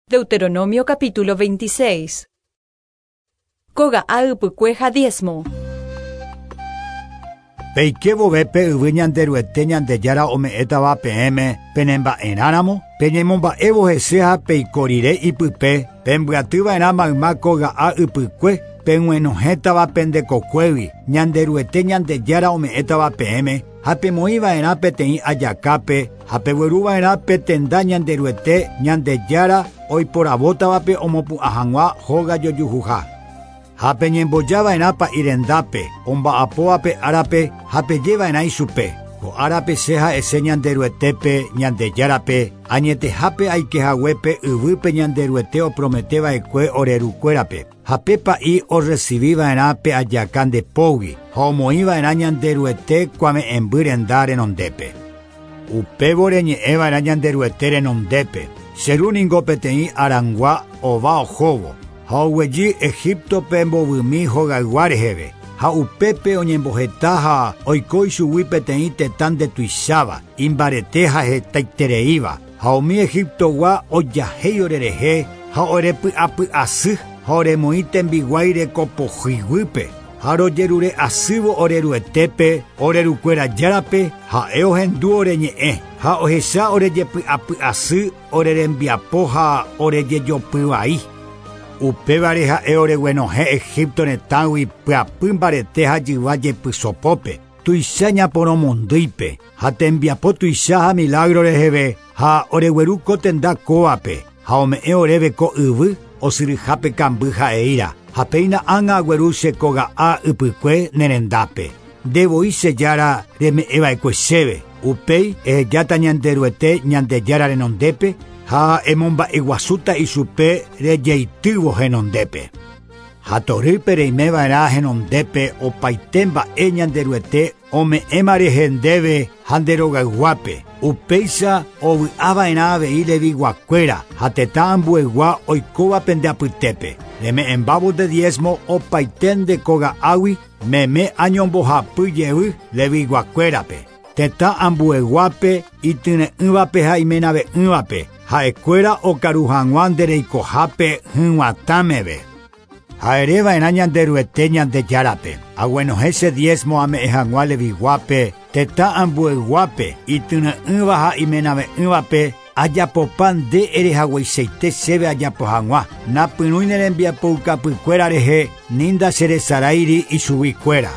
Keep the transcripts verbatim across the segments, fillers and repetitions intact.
Deuteronomio capítulo veintiséis. Kóga'a ypykue ha diezmo. Peike vove pe yvy Ñanderuete Ñandejára ome'ẽtava peẽme penemba'erãramo, peñemomba'évo hese ha peiko rire ipype, pembyatyva'erã mayma kóga'a ypykue, peg̃uenohẽtava pendekokuégui, Ñanderuete Ñandejára ome'ẽtava peẽme, ha pemoĩva'erã peteĩ ajakápe, ha pegueruva'erã pe tenda Ñanderuete Ñandejára oiporavótavape omopu'ã hag̃ua hóga jojuhuha. Ha peñembojava'erã pa'i rendápe, omba'apóvape árape ha pejeva'erã ichupe. Ko árape che ha'ese Ñanderuetépe Ñandejárape, añetehápe aikehaguépe yvýpe Ñanderuete oprometeva'ekue orerukuérape. Ha pe pa'i orecibiva'erã pe ajaka ndepógui, ha omoĩva'erã Ñanderuete kuave'ẽmby renda renondépe. Upévo reñe'ẽva'erã Ñanderuete renondépe. Che ru ningo peteĩ arangua ova ohóvo, ha oguejy Egiptope mbovymi hogaygua reheve, ha upépe oñemboheta ha oiko ichugui peteĩ tetã ndetuicháva, imbarete ha hetaitereíva, ha umi Egiptogua ojahéi orerehe ha orepy'apy'asy ha oremoĩ tembiguái rekopohyiguýpe, ha rojerure asývo oreruetépe, orerukuéra járape, ha'e ohendu oreñe'ẽ, ha ohecha orejepy'apy'asy orerembiapo ha orejejopyvai. Upévare ha'e oreguenohẽ Egipto retãgui pyapy mbarete ha jyva jepysopópe, tuicha ñaporomondýipe, ha tembiapo tuicha ha milagro reheve, ha oregueru ko tenda kóvape, ha ome'ẽ oréve ko yvy osyryhápe kamby ha'eíra, ha péina ág̃a agueru che kóga'a ypykue ne rendápe. Ndevoi che jára reme'ẽva'ekue chéve, upéi ehejáta Ñanderuete Ñandejára renondépe, ha emomba'eguasúta ichupe rejeitývo henondépe. Ha torýpe reimeva'erã henondépe opaite mba'e Ñanderuete ome'ẽma rehe ndéve ha nde rogayguápe. Upéicha ovy'ava'erã avei leviguakuéra ha tetã ambuegua oikóva pende apytépe. Reme'ẽmbávo nde diezmo opaite nde kóga'águi meme añombohapy jey leviguakuérape. Tetã ambueguápe ityre'ỹvape ha imenave'ỹvape, ha'ekuéra okaru hag̃ua ndereikohápe hyg̃uatãmeve. Ha ereva'erã Ñanderuete Ñandejárape, aguenohẽ che diezmo ame'ẽ hag̃ua leviguápe, tetã ambueguápe, ityre'ỹva ha imenave'ỹvape, ajapopa nde erehagueichaite chéve ajapo hag̃ua, napyrũi ne rembiapoukapykuéra rehe ni ndacheresaráiri ichuguikuéra.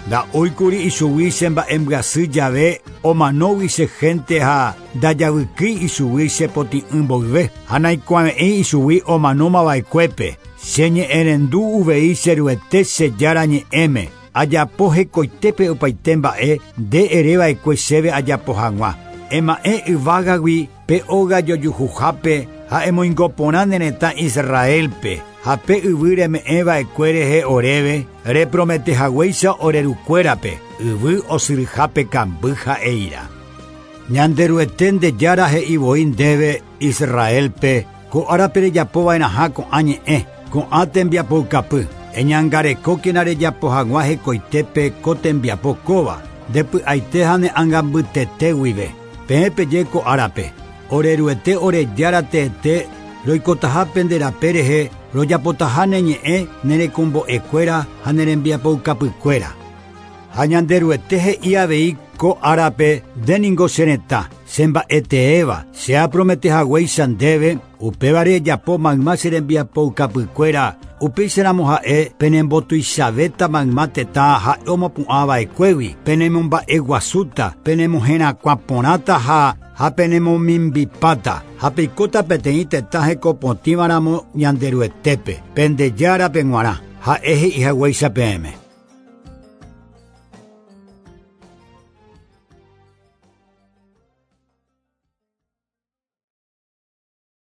Nda'óikuri ichugui che mba'embyasy jave omanógui che gente ha ndajavykýi ichugui che potĩ'ỹ mboyve, ha naikuave'ẽi ichugui omanómava'ekuépe. Che ñe'ẽrendu uvei che Ruete che Jára ñe'ẽme, ajapo hekoitépe opaite mba'e nde ereva'ekue chéve ajapo hag̃ua. Ema'ẽ yvágagui pe óga jojuhuhápe ha emoingoporã ne retã Israelpe, ha pe yvy reme'ẽva'ekue rehe oréve, reprometehaguéicha orerukuérape, yvy osyryhápe kamby ha'eíra. Ñanderuete nde Jára he'i voi ndéve Israelpe, ko árape rejapova'erãha ko'ã ñe'ẽ, ko'ã tembiapoukapy, eñangarekókena rejapo hag̃ua hekoitépe ko tembiapo kóva, ndepy'aite ha ne ãngambytete guive. Peẽ peje ko árape, oreruete ore Jára teete roikotaha nde rape rehe, rojapotaha ne ñe'ẽ ne rekombo'ekuéra ha ne rembiapoukapykuéra. Ha Ñanderuete he'i avei ko árape nde ningo che retã, che mba'eteéva, che aprometehaguéicha ndéve, upévare ejapo mayma che rembiapoukapykuéra, upéicharamo ha'e penembotuichavéta mayma tetã ha'e omopu'ãva'ekuégui, penemomba'eguasúta, penemoherakuãporãta ha ha penemomimbipáta, ha peikóta peteĩ tetã hekopotĩvaramo Ñanderuetépe, pende Járape g̃uarã, ha'e he'ihaguéicha peẽme.